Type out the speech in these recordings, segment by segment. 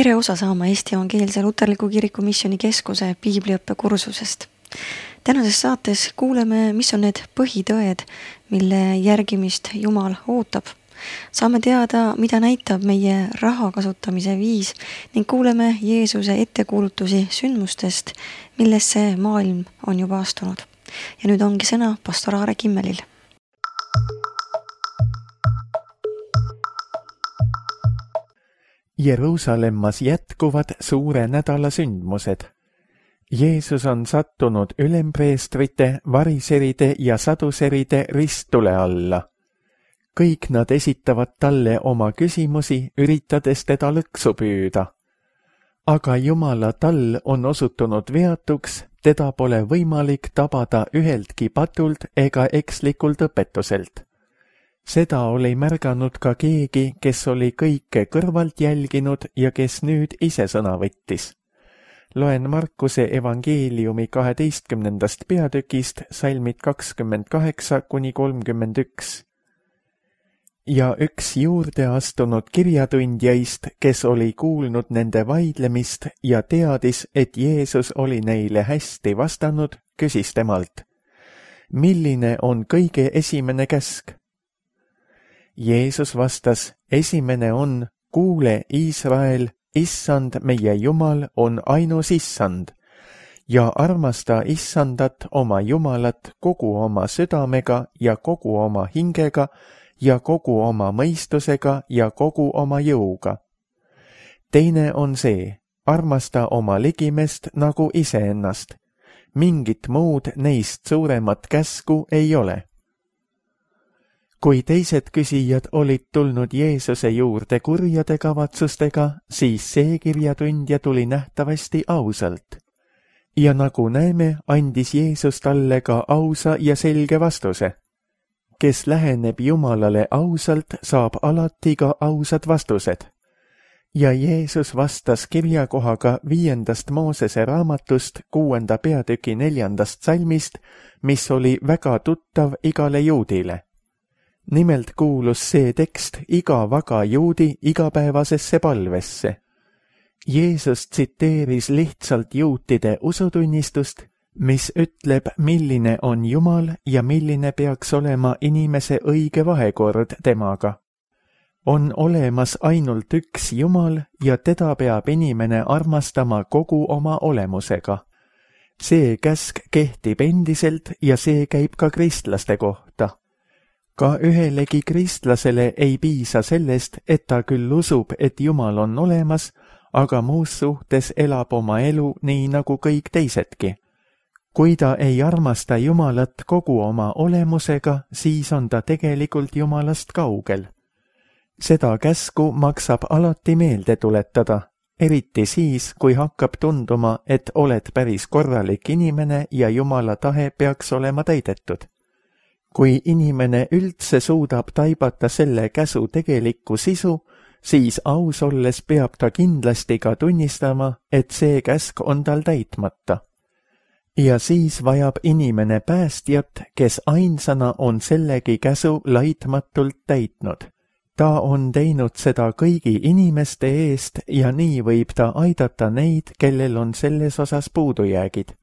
tere osa saama Eesti Evangeelse Luterliku Kiriku Missioonikeskuse piibliõppekursusest. Tänases saates kuuleme, mis on need põhitõed, mille järgimist Jumal ootab. Saame teada, mida näitab meie raha kasutamise viis ning kuuleme Jeesuse ettekuulutusi sündmustest, millesse maailm on juba astunud. Ja nüüd ongi sõna pastor Aare Kimmelil. Jeruusalemmas jätkuvad suure nädala sündmused. Jeesus on sattunud ülempreestrite, variseride ja saduseride risttule alla. Kõik nad esitavad talle oma küsimusi, üritades teda lõksu püüda. Aga Jumala tall on osutunud veatuks, teda pole võimalik tabada üheltki patult ega ekslikult õpetuselt. Seda oli märganud ka keegi, kes oli kõike kõrvalt jälginud ja kes nüüd ise sõna võttis. Loen Markuse evangeeliumi 12. peatükist salmid 28–31. Ja üks juurde astunud kirjatundjaist, kes oli kuulnud nende vaidlemist ja teadis, et Jeesus oli neile hästi vastanud, küsis temalt: milline on kõige esimene käsk? Jeesus vastas: esimene on: kuule, Iisrael, Issand meie Jumal on ainus Issand ja armasta Issandat oma Jumalat kogu oma südamega ja kogu oma hingega ja kogu oma mõistusega ja kogu oma jõuga. Teine on see: armasta oma ligimest nagu iseennast. Mingit muud neist suuremat käsku ei ole. Kui teised küsijad olid tulnud Jeesuse juurde kurjade kavatsustega, siis see kirjatundja tuli nähtavasti ausalt. Ja nagu näeme, andis Jeesus talle ka ausa ja selge vastuse. Kes läheneb Jumalale ausalt, saab alati ka ausad vastused. Ja Jeesus vastas kirjakohaga 5. Moosese raamatust 6. peatüki 4. salmist, mis oli väga tuttav igale juudile. Nimelt kuulus see tekst iga vaga juudi igapäevasesse palvesse. Jeesus tsiteeris lihtsalt juutide usutunnistust, mis ütleb, milline on Jumal ja milline peaks olema inimese õige vahekord temaga. On olemas ainult üks Jumal ja teda peab inimene armastama kogu oma olemusega. See käsk kehtib endiselt ja see käib ka kristlaste kohta. Ka ühelegi kristlasele ei piisa sellest, et ta küll usub, et Jumal on olemas, aga muus suhtes elab oma elu nii nagu kõik teisedki. Kui ta ei armasta Jumalat kogu oma olemusega, siis on ta tegelikult Jumalast kaugel. Seda käsku maksab alati meelde tuletada, eriti siis, kui hakkab tunduma, et oled päris korralik inimene ja Jumala tahe peaks olema täidetud. Kui inimene üldse suudab taibata selle käsu tegelikku sisu, siis aus olles peab ta kindlasti ka tunnistama, et see käsk on tal täitmata. Ja siis vajab inimene päästjat, kes ainsana on sellegi käsu laitmatult täitnud. Ta on teinud seda kõigi inimeste eest ja nii võib ta aidata neid, kellel on selles osas puudujäägid.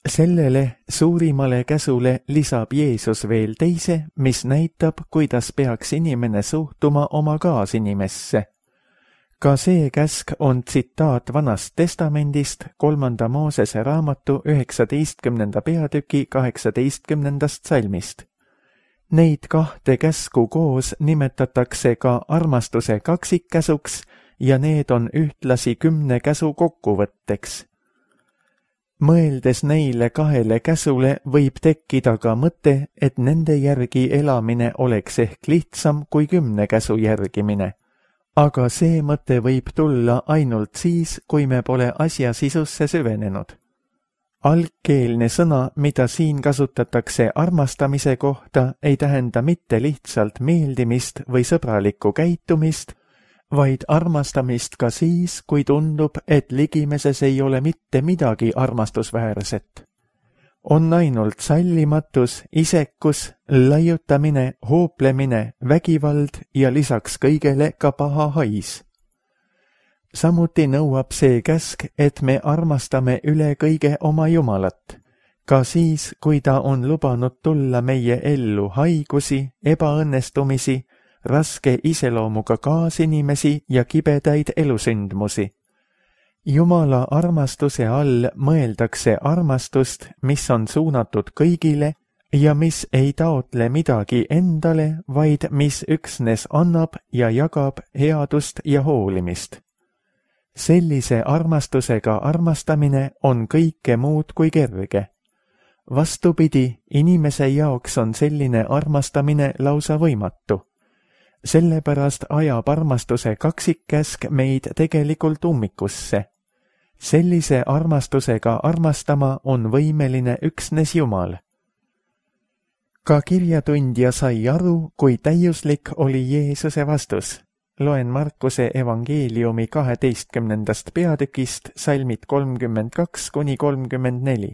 Sellele suurimale käsule lisab Jeesus veel teise, mis näitab, kuidas peaks inimene suhtuma oma kaasinimesse. Ka see käsk on tsitaat Vanast Testamendist 3. Moosese raamatu 19. peatüki 18. salmist. Neid kahte käsku koos nimetatakse ka armastuse kaksikkäsuks ja need on ühtlasi 10 käsu kokkuvõtteks. Mõeldes neile kahele käsule võib tekkida ka mõte, et nende järgi elamine oleks ehk lihtsam kui 10 käsu järgimine. Aga see mõte võib tulla ainult siis, kui me pole asja sisusse süvenenud. Algkeelne sõna, mida siin kasutatakse armastamise kohta, ei tähenda mitte lihtsalt meeldimist või sõbralikku käitumist, vaid armastamist ka siis, kui tundub, et ligimeses ei ole mitte midagi armastusväärset. On ainult sallimatus, isekus, laiutamine, hooplemine, vägivald ja lisaks kõigele ka paha hais. Samuti nõuab see käsk, et me armastame üle kõige oma Jumalat, ka siis, kui ta on lubanud tulla meie ellu haigusi, ebaõnnestumisi, raske iseloomuga kaasinimesi ja kibedaid elusündmusi. Jumala armastuse all mõeldakse armastust, mis on suunatud kõigile ja mis ei taotle midagi endale, vaid mis üksnes annab ja jagab headust ja hoolimist. Sellise armastusega armastamine on kõike muud kui kerge. Vastupidi, inimese jaoks on selline armastamine lausa võimatu. Sellepärast ajab armastuse kaksikkäsk meid tegelikult ummikusse. Sellise armastusega armastama on võimeline üksnes Jumal. Ka kirjatundja sai aru, kui täiuslik oli Jeesuse vastus. Loen Markuse evangeeliumi 12. peatükist salmid 32–34.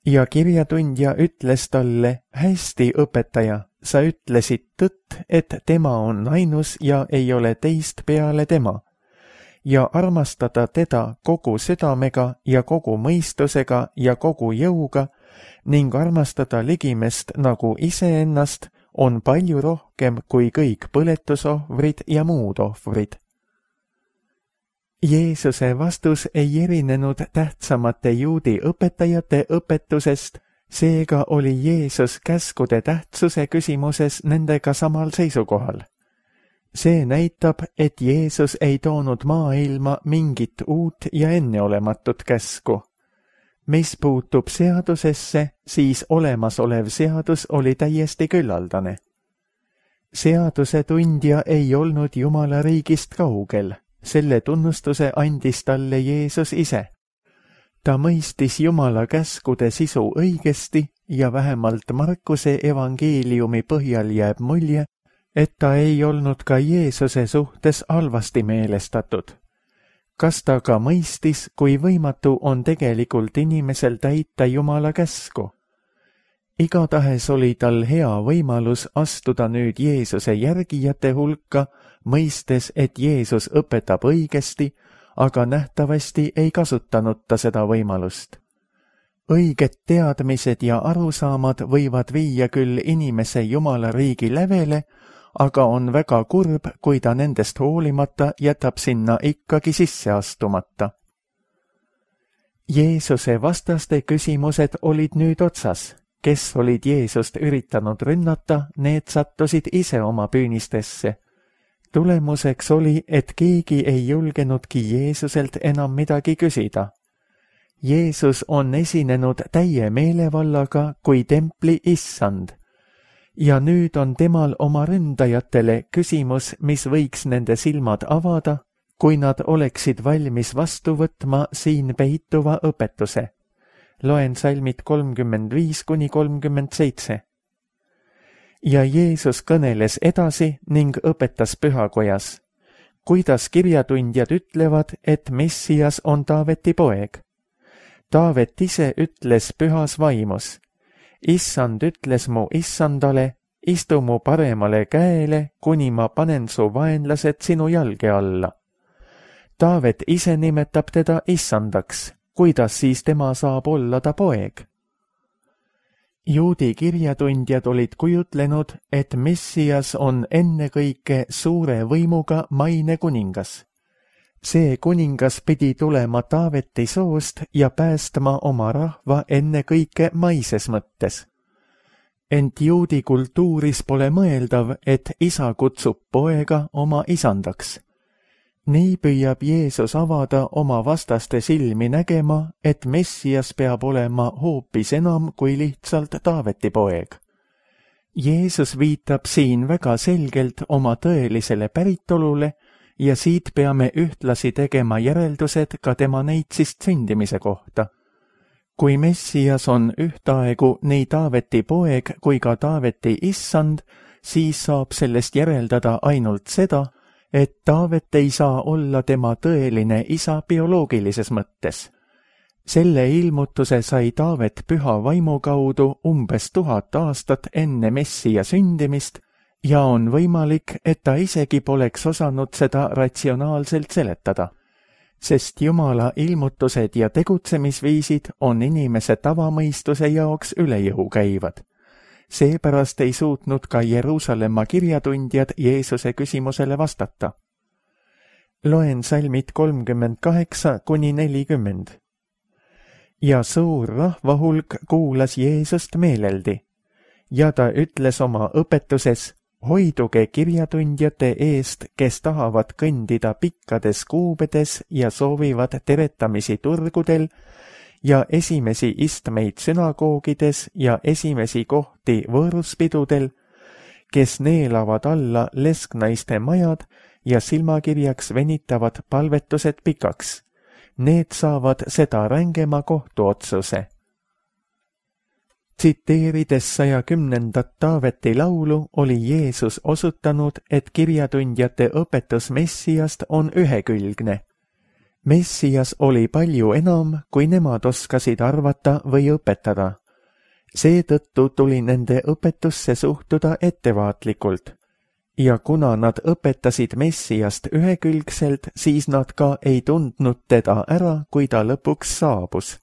Ja kirjatundja ütles talle, hästi, õpetaja, sa ütlesid tõtt, et tema on ainus ja ei ole teist peale tema. Ja armastada teda kogu südamega ja kogu mõistusega ja kogu jõuga ning armastada ligimest nagu iseennast on palju rohkem kui kõik põletusohvrid ja muud ohvrid. Jeesuse vastus ei erinenud tähtsamate juudi õpetajate õpetusest, seega oli Jeesus käskude tähtsuse küsimuses nendega samal seisukohal. See näitab, et Jeesus ei toonud maailma mingit uut ja enneolematut käsku. Mis puutub seadusesse, siis olemasolev seadus oli täiesti küllaldane. Seaduse tundja ei olnud Jumala riigist kaugel, selle tunnustuse andis talle Jeesus ise. Ta mõistis Jumala käskude sisu õigesti ja vähemalt Markuse evangeeliumi põhjal jääb mulje, et ta ei olnud ka Jeesuse suhtes halvasti meelestatud. Kas ta ka mõistis, kui võimatu on tegelikult inimesel täita Jumala käsku? Igatahes oli tal hea võimalus astuda nüüd Jeesuse järgijate hulka, mõistes, et Jeesus õpetab õigesti, aga nähtavasti ei kasutanud ta seda võimalust. Õiged teadmised ja arusaamad võivad viia küll inimese Jumala riigi lävele, aga on väga kurb, kui ta nendest hoolimata jätab sinna ikkagi sisse astumata. Jeesuse vastaste küsimused olid nüüd otsas. Kes olid Jeesust üritanud rünnata, need sattusid ise oma püünistesse. Tulemuseks oli, et keegi ei julgenudki Jeesuselt enam midagi küsida. Jeesus on esinenud täie meelevallaga kui templi issand. Ja nüüd on temal oma ründajatele küsimus, mis võiks nende silmad avada, kui nad oleksid valmis vastu võtma siin peituva õpetuse. Loen salmid 35–37. Ja Jeesus kõneles edasi ning õpetas pühakojas. Kuidas kirjatundjad ütlevad, et Messias on Taaveti poeg? Taavet ise ütles pühas vaimus. Issand ütles mu issandale, istu mu paremale käele, kuni ma panen su vaenlased sinu jalge alla. Taavet ise nimetab teda issandaks, kuidas siis tema saab olla ta poeg? Juudi kirjatundjad olid kujutlenud, et Messias on ennekõike suure võimuga maine kuningas. See kuningas pidi tulema Taaveti soost ja päästma oma rahva ennekõike maises mõttes. Ent juudi kultuuris pole mõeldav, et isa kutsub poega oma isandaks. Nii püüab Jeesus avada oma vastaste silmi nägema, et Messias peab olema hoopis enam kui lihtsalt Taaveti poeg. Jeesus viitab siin väga selgelt oma tõelisele päritolule ja siit peame ühtlasi tegema järeldused ka tema neitsist sündimise kohta. Kui Messias on ühtaegu nii Taaveti poeg kui ka Taaveti issand, siis saab sellest järeldada ainult seda, et Taavet ei saa olla tema tõeline isa bioloogilises mõttes. Selle ilmutuse sai Taavet püha vaimu kaudu umbes 1000 aastat enne Messia sündimist ja on võimalik, et ta isegi poleks osanud seda ratsionaalselt seletada, sest Jumala ilmutused ja tegutsemisviisid on inimese tavamõistuse jaoks üle jõu käivad. Seepärast ei suutnud ka Jeruusalemma kirjatundjad Jeesuse küsimusele vastata. Loen salmid 38–40. Ja suur rahvahulk kuulas Jeesust meeleldi ja ta ütles oma õpetuses: hoiduge kirjatundjate eest, kes tahavad kõndida pikkades kuubedes ja soovivad teretamisi turgudel ja esimesi istmeid sünagoogides ja esimesi kohti võõruspidudel, kes neelavad alla lesknaiste majad ja silmakirjaks venitavad palvetused pikaks. Need saavad seda rängema kohtuotsuse. Tsiteerides 110. Taaveti laulu oli Jeesus osutanud, et kirjatundjate õpetus Messiast on ühekülgne. Messias oli palju enam, kui nemad oskasid arvata või õpetada. Seetõttu tuli nende õpetusse suhtuda ettevaatlikult. Ja kuna nad õpetasid Messiast ühekülgselt, siis nad ka ei tundnud teda ära, kui ta lõpuks saabus.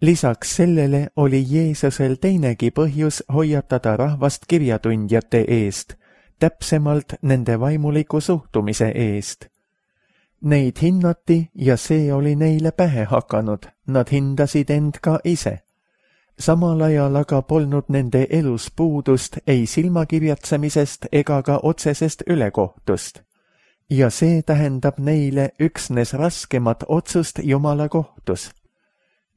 Lisaks sellele oli Jeesusel teinegi põhjus hoiatada rahvast kirjatundjate eest, täpsemalt nende vaimuliku suhtumise eest. Neid hinnati ja see oli neile pähe hakanud, nad hindasid end ka ise. Samal ajal aga polnud nende elus puudust ei silmakirjatsemisest ega ka otsesest ülekohtust. Ja see tähendab neile üksnes raskemat otsust Jumala kohtus.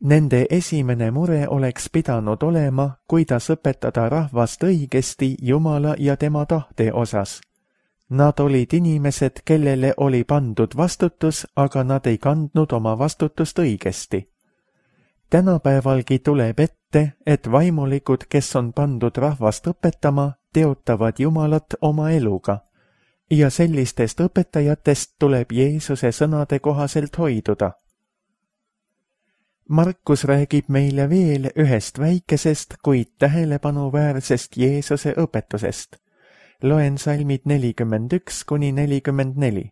Nende esimene mure oleks pidanud olema, kuidas õpetada rahvast õigesti Jumala ja tema tahte osas. Nad olid inimesed, kellele oli pandud vastutus, aga nad ei kandnud oma vastutust õigesti. Tänapäevalgi tuleb ette, et vaimulikud, kes on pandud rahvast õpetama, teotavad Jumalat oma eluga. Ja sellistest õpetajatest tuleb Jeesuse sõnade kohaselt hoiduda. Markus räägib meile veel ühest väikesest, kuid tähelepanuväärsest Jeesuse õpetusest. Loen salmid 41–44.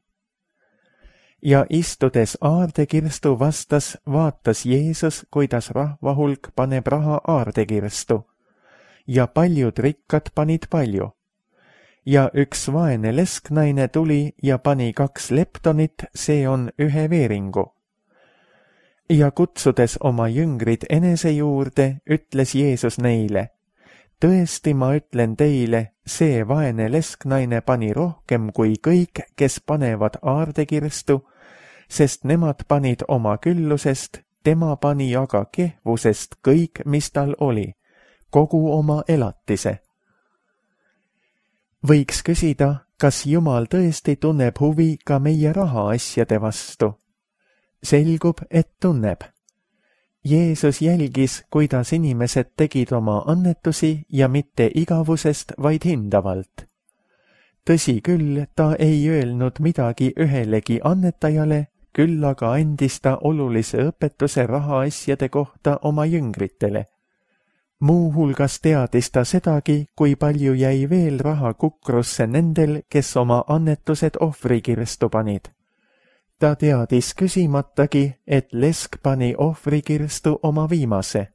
Ja istudes aardekirstu vastas, vaatas Jeesus, kuidas rahvahulk paneb raha aardekirstu. Ja paljud rikkad panid palju. Ja üks vaene lesknaine tuli ja pani 2 leptonit, see on 1 veeringu. Ja kutsudes oma jüngrid enese juurde, ütles Jeesus neile: tõesti, ma ütlen teile, see vaene lesknaine pani rohkem kui kõik, kes panevad aardekirstu, sest nemad panid oma küllusest, tema pani aga kehvusest kõik, mis tal oli, kogu oma elatise. Võiks küsida, kas Jumal tõesti tunneb huvi ka meie rahaasjade vastu? Selgub, et tunneb. Jeesus jälgis, kuidas inimesed tegid oma annetusi ja mitte igavusest, vaid hindavalt. Tõsi küll, ta ei öelnud midagi ühelegi annetajale, küll aga andis ta olulise õpetuse rahaasjade kohta oma jüngritele. Muuhulgas teadis ta sedagi, kui palju jäi veel raha kukrusse nendel, kes oma annetused ohvrikirstu panid. Ta teadis küsimatagi, et lesk pani ohvrikirstu oma viimase.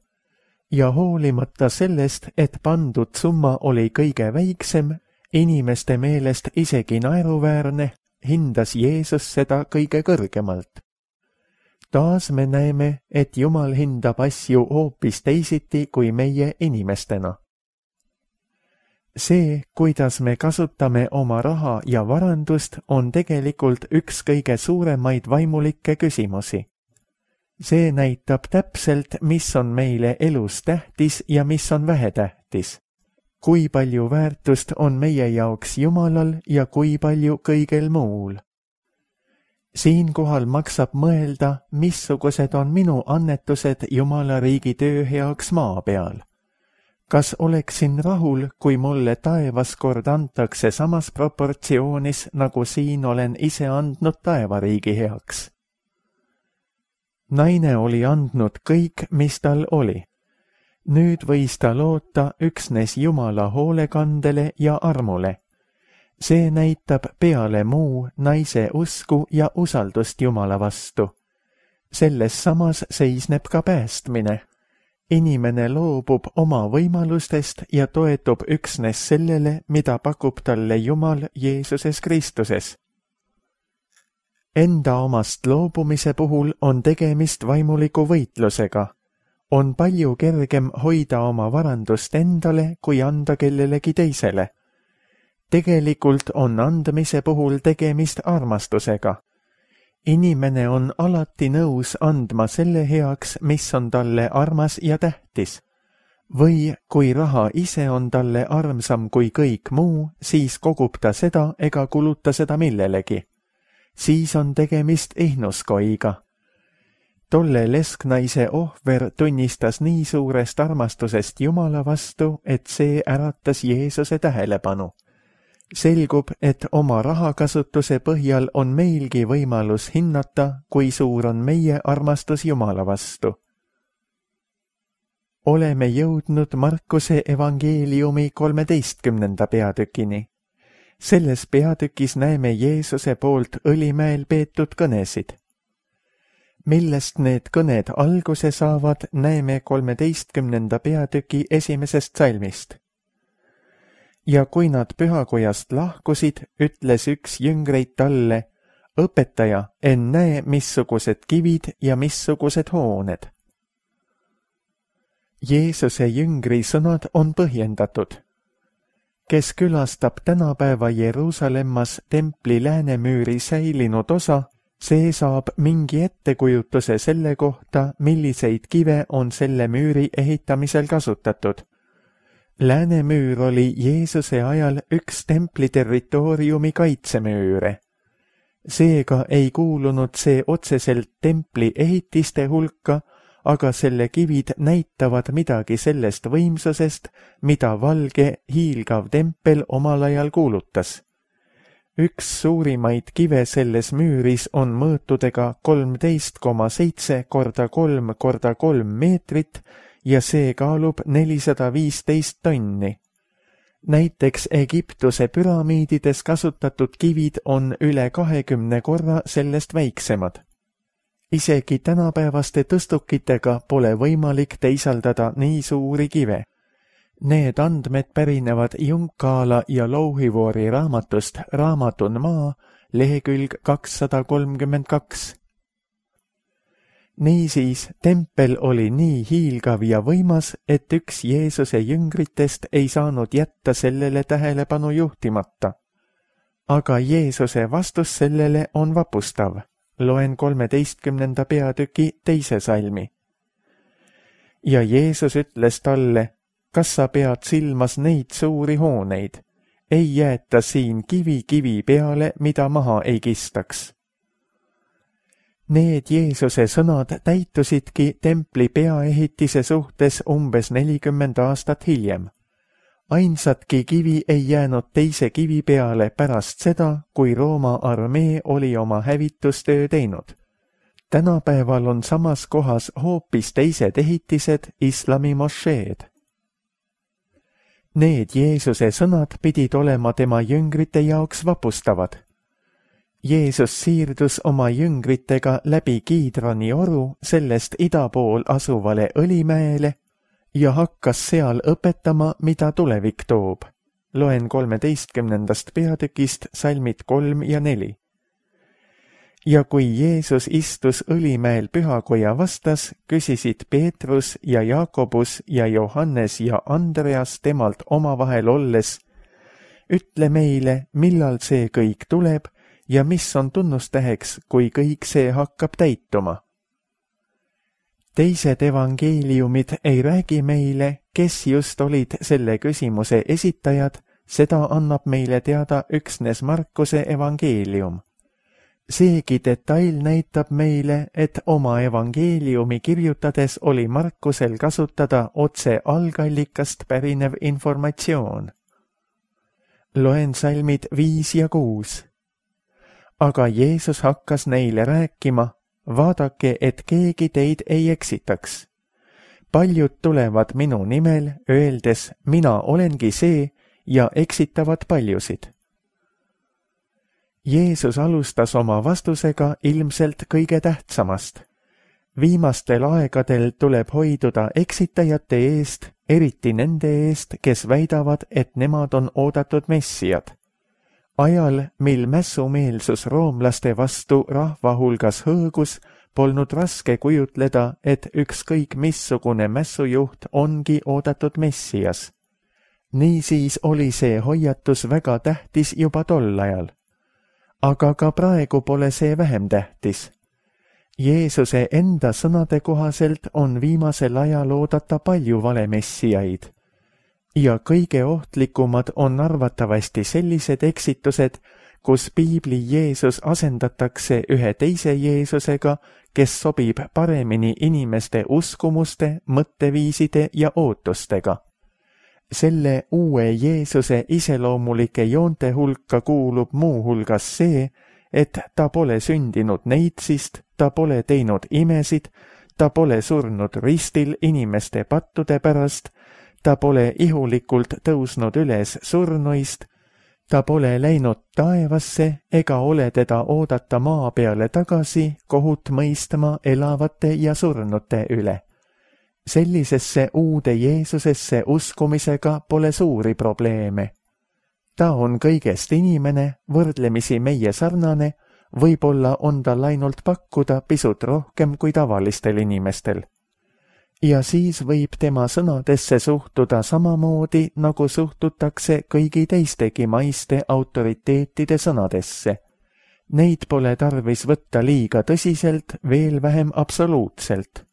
Ja hoolimata sellest, et pandud summa oli kõige väiksem, inimeste meelest isegi naeruväärne, hindas Jeesus seda kõige kõrgemalt. Taas me näeme, et Jumal hindab asju hoopis teisiti kui meie inimestena. See, kuidas me kasutame oma raha ja varandust, on tegelikult üks kõige suuremaid vaimulikke küsimusi. See näitab täpselt, mis on meile elus tähtis ja mis on vähetähtis. Kui palju väärtust on meie jaoks Jumalal ja kui palju kõigel muul. Siinkohal maksab mõelda, missugused on minu annetused Jumala riigi töö heaks maa peal. Kas oleksin rahul, kui mulle taevas kord antakse samas proportsioonis, nagu siin olen ise andnud taevariigi heaks? Naine oli andnud kõik, mis tal oli. Nüüd võis ta loota üksnes Jumala hoolekandele ja armule. See näitab peale muu naise usku ja usaldust Jumala vastu. Selles samas seisneb ka päästmine. Inimene loobub oma võimalustest ja toetub üksnes sellele, mida pakub talle Jumal Jeesuses Kristuses. Enda omast loobumise puhul on tegemist vaimuliku võitlusega. On palju kergem hoida oma varandust endale, kui anda kellelegi teisele. Tegelikult on andmise puhul tegemist armastusega. Inimene on alati nõus andma selle heaks, mis on talle armas ja tähtis. Või kui raha ise on talle armsam kui kõik muu, siis kogub ta seda ega kuluta seda millelegi. Siis on tegemist ihnuskoiga. Tolle lesknaise ohver tunnistas nii suurest armastusest Jumala vastu, et see äratas Jeesuse tähelepanu. Selgub, et oma rahakasutuse põhjal on meilgi võimalus hinnata, kui suur on meie armastus Jumala vastu. Oleme jõudnud Markuse evangeeliumi 13. peatükini. Selles peatükis näeme Jeesuse poolt Õlimäel peetud kõnesid. Millest need kõned alguse saavad, näeme 13. peatüki 1. salmist. Ja kui nad pühakojast lahkusid, ütles üks jüngreid talle, õpetaja, en näe, missugused kivid ja missugused hooned. Jeesuse jüngri sõnad on põhjendatud. Kes külastab tänapäeva Jeruusalemmas templi läänemüüri säilinud osa, see saab mingi ettekujutuse selle kohta, milliseid kive on selle müüri ehitamisel kasutatud. Läänemüür oli Jeesuse ajal üks templi territooriumi kaitsemüüre. Seega ei kuulunud see otseselt templi ehitiste hulka, aga selle kivid näitavad midagi sellest võimsusest, mida valge hiilgav tempel omal ajal kuulutas. Üks suurimaid kive selles müüris on mõõtudega 13,7 korda 3 korda 3 meetrit ja see kaalub 415 tonni. Näiteks Egiptuse püramiidides kasutatud kivid on üle 20 korra sellest väiksemad. Isegi tänapäevaste tõstukitega pole võimalik teisaldada nii suuri kive. Need andmed pärinevad Junkkaala ja Louhivuori raamatust Raamatun maa, lehekülg 232. Niisiis, tempel oli nii hiilgav ja võimas, et üks Jeesuse jüngritest ei saanud jätta sellele tähelepanu juhtimata. Aga Jeesuse vastus sellele on vapustav. Loen 13. peatüki 2. salmi. Ja Jeesus ütles talle, kas sa pead silmas neid suuri hooneid? Ei jäeta siin kivi peale, mida maha ei kistaks. Need Jeesuse sõnad täitusidki templi peaehitise suhtes umbes 40 aastat hiljem. Ainsatki kivi ei jäänud teise kivi peale pärast seda, kui Rooma armee oli oma hävitustöö teinud. Tänapäeval on samas kohas hoopis teised ehitised, islami mošeed. Need Jeesuse sõnad pidid olema tema jüngrite jaoks vapustavad. Jeesus siirdus oma jüngritega läbi Kiidroni oru sellest ida pool asuvale Õlimäele ja hakkas seal õpetama, mida tulevik toob. Loen 13. peatükist salmid 3 ja 4. Ja kui Jeesus istus Õlimäel pühakoja vastas, küsisid Peetrus ja Jaakobus ja Johannes ja Andreas temalt omavahel olles, ütle meile, millal see kõik tuleb ja mis on tunnustäheks, kui kõik see hakkab täituma. Teised evangeeliumid ei räägi meile, kes just olid selle küsimuse esitajad, seda annab meile teada üksnes Markuse evangeelium. Seegi detail näitab meile, et oma evangeeliumi kirjutades oli Markusel kasutada otse algallikast pärinev informatsioon. Loen salmid 5 ja 6. Aga Jeesus hakkas neile rääkima, vaadake, et keegi teid ei eksitaks. paljud tulevad minu nimel, öeldes, mina olengi see, ja eksitavad paljusid. Jeesus alustas oma vastusega ilmselt kõige tähtsamast. Viimastel aegadel tuleb hoiduda eksitajate eest, eriti nende eest, kes väidavad, et nemad on oodatud messiad. Ajal, mil mässumeelsus roomlaste vastu rahva hulgas hõõgus, polnud raske kujutleda, et ükskõik missugune mässujuht ongi oodatud messias. Niisiis oli see hoiatus väga tähtis juba tol ajal. Aga ka praegu pole see vähem tähtis. Jeesuse enda sõnade kohaselt on viimasel ajal oodata palju valemessiaid. Ja kõige ohtlikumad on arvatavasti sellised eksitused, kus piibli Jeesus asendatakse ühe teise Jeesusega, kes sobib paremini inimeste uskumuste, mõtteviiside ja ootustega. Selle uue Jeesuse iseloomulike joonte hulka kuulub muu hulgas see, et ta pole sündinud neitsist, ta pole teinud imesid, ta pole surnud ristil inimeste pattude pärast, ta pole ihulikult tõusnud üles surnuist, ta pole läinud taevasse ega ole teda oodata maa peale tagasi kohut mõistma elavate ja surnute üle. Sellisesse uude Jeesusesse uskumisega pole suuri probleeme. Ta on kõigest inimene, võrdlemisi meie sarnane, võib-olla on tal ainult pakkuda pisut rohkem kui tavalistel inimestel. Ja siis võib tema sõnadesse suhtuda samamoodi, nagu suhtutakse kõigi teistegi maiste autoriteetide sõnadesse. Neid pole tarvis võtta liiga tõsiselt, veel vähem absoluutselt.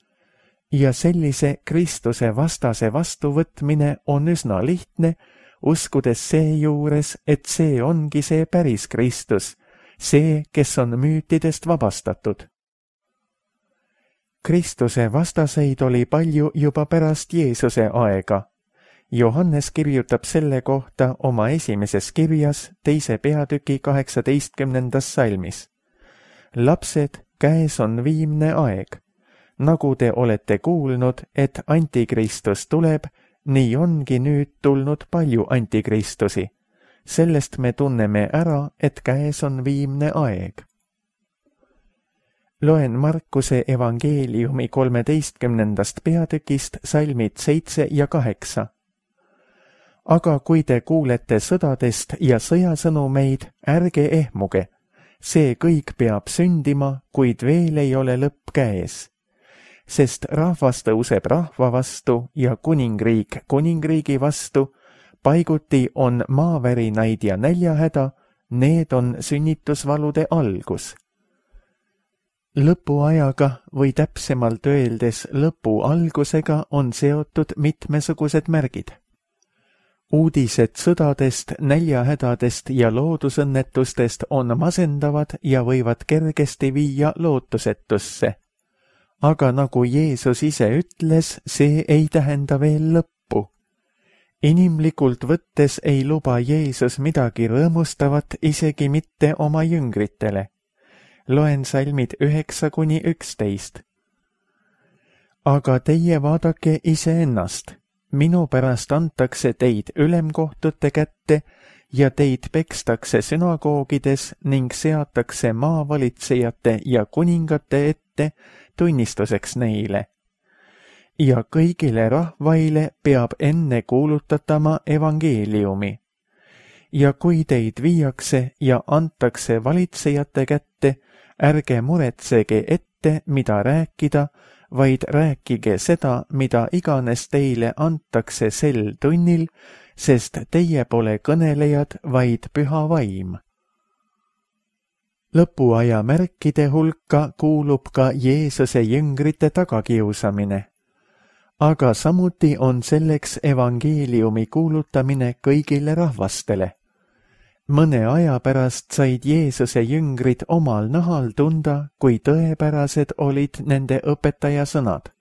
Ja sellise Kristuse vastase vastuvõtmine on üsna lihtne, uskudes seejuures, et see ongi see päris Kristus, see, kes on müütidest vabastatud. Kristuse vastaseid oli palju juba pärast Jeesuse aega. Johannes kirjutab selle kohta oma esimeses kirjas 2. peatüki 18. salmis. Lapsed, käes on viimne aeg. Nagu te olete kuulnud, et antikristus tuleb, nii ongi nüüd tulnud palju antikristusi. Sellest me tunneme ära, et käes on viimne aeg. Loen Markuse evangeeliumi 13. peatükist salmid 7 ja 8. Aga kui te kuulete sõdadest ja sõjasõnumeid, ärge ehmuge. See kõik peab sündima, kuid veel ei ole lõpp käes. Sest rahvas tõuseb rahva vastu ja kuningriik kuningriigi vastu, paiguti on maavärinaid ja näljahäda, need on sünnitusvalude algus. Lõpuajaga või täpsemalt öeldes lõpu algusega on seotud mitmesugused märgid. Uudised sõdadest, näljahädadest ja loodusõnnetustest on masendavad ja võivad kergesti viia lootusetusse. Aga nagu Jeesus ise ütles, see ei tähenda veel lõppu. Inimlikult võttes ei luba Jeesus midagi rõõmustavat isegi mitte oma jüngritele. Loen salmid 9–11. Aga teie vaadake iseennast. Minu pärast antakse teid ülemkohtute kätte ja teid pekstakse sünagoogides ning seatakse maavalitsejate ja kuningate ette tunnistuseks neile. Ja kõigile rahvaile peab enne kuulutatama evangeeliumi. Ja kui teid viiakse ja antakse valitsejate kätte, ärge muretsege ette, mida rääkida, vaid rääkige seda, mida iganes teile antakse sel tunnil, sest teie pole kõnelejad, vaid püha vaim. Lõpuaja märkide hulka kuulub ka Jeesuse jüngrite tagakiusamine. Aga samuti on selleks evangeeliumi kuulutamine kõigile rahvastele. Mõne aja pärast said Jeesuse jüngrid omal nahal tunda, kui tõepärased olid nende õpetaja sõnad.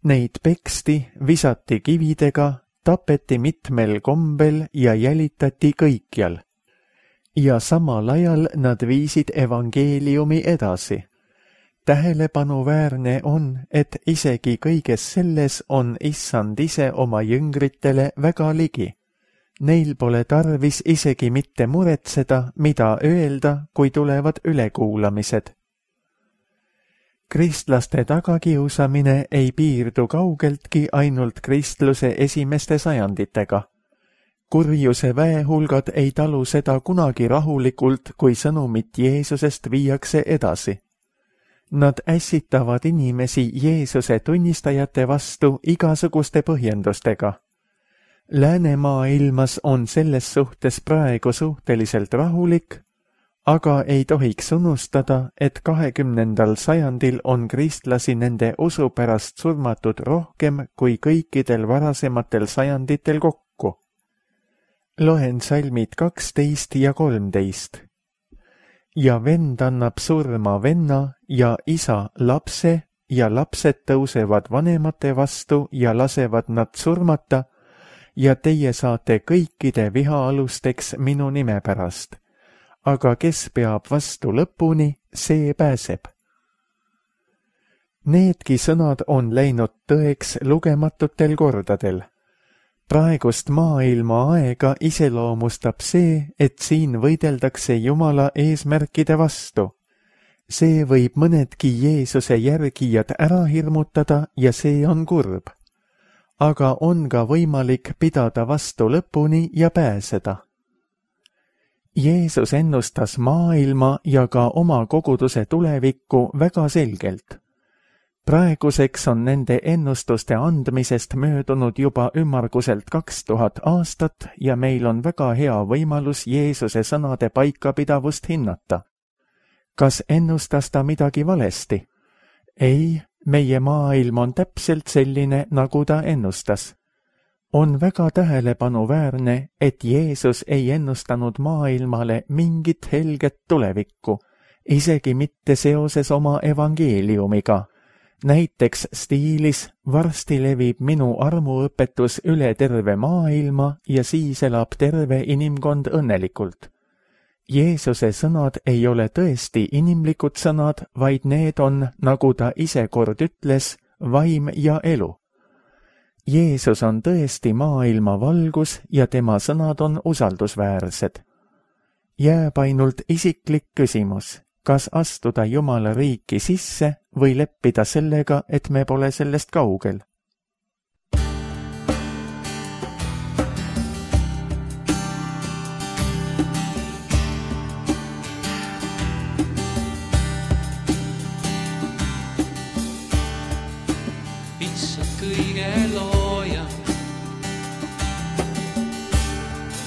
Neid peksti, visati kividega, tapeti mitmel kombel ja jälitati kõikjal. Ja samal ajal nad viisid evangeeliumi edasi. Tähelepanuväärne on, et isegi kõiges selles on Issand ise oma jüngritele väga ligi. Neil pole tarvis isegi mitte muretseda, mida öelda, kui tulevad ülekuulamised. Kristlaste tagakiusamine ei piirdu kaugeltki ainult kristluse esimeste sajanditega. Kurjuse väehulgad ei talu seda kunagi rahulikult, kui sõnumit Jeesusest viiakse edasi. Nad ässitavad inimesi Jeesuse tunnistajate vastu igasuguste põhjendustega. Läänemaailmas on selles suhtes praegu suhteliselt rahulik, aga ei tohiks unustada, et 20. sajandil on kristlasi nende usu pärast surmatud rohkem kui kõikidel varasematel sajanditel kokku. Loen salmid 12 ja 13. Ja vend annab surma venna ja isa lapse ja lapsed tõusevad vanemate vastu ja lasevad nad surmata ja teie saate kõikide vihaalusteks minu nime pärast. Aga kes peab vastu lõpuni, see pääseb. Needki sõnad on läinud tõeks lugematutel kordadel. Praegust maailma aega iseloomustab see, et siin võideldakse Jumala eesmärkide vastu. See võib mõnedki Jeesuse järgijad ära hirmutada ja see on kurb. Aga on ka võimalik pidada vastu lõpuni ja pääseda. Jeesus ennustas maailma ja ka oma koguduse tulevikku väga selgelt. Praeguseks on nende ennustuste andmisest möödunud juba ümmarguselt 2000 aastat ja meil on väga hea võimalus Jeesuse sõnade paikapidavust hinnata. Kas ennustas ta midagi valesti? Ei, meie maailm on täpselt selline, nagu ta ennustas. On väga tähelepanuväärne, et Jeesus ei ennustanud maailmale mingit helget tulevikku, isegi mitte seoses oma evangeeliumiga. Näiteks stiilis varsti levib minu armuõpetus üle terve maailma ja siis elab terve inimkond õnnelikult. Jeesuse sõnad ei ole tõesti inimlikud sõnad, vaid need on, nagu ta ise kord ütles, vaim ja elu. Jeesus on tõesti maailma valgus ja tema sõnad on usaldusväärsed. Jääb ainult isiklik küsimus. Kas astuda Jumala riiki sisse või leppida sellega, et me pole sellest kaugel? Issand kõige looja,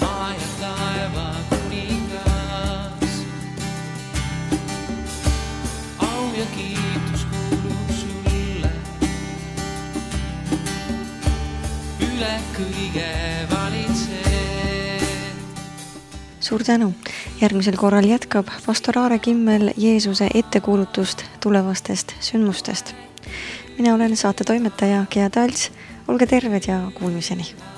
maa ja taeva kuningas. Au ja kiitus kuulub sulle, üle kõige valitsed. Suur tänu! Järgmisel korral jätkab pastor Aare Kimmel Jeesuse ettekuulutust tulevastest sündmustest. Mina olen saate toimetaja Gea Talts, olge terved ja kuulmiseni!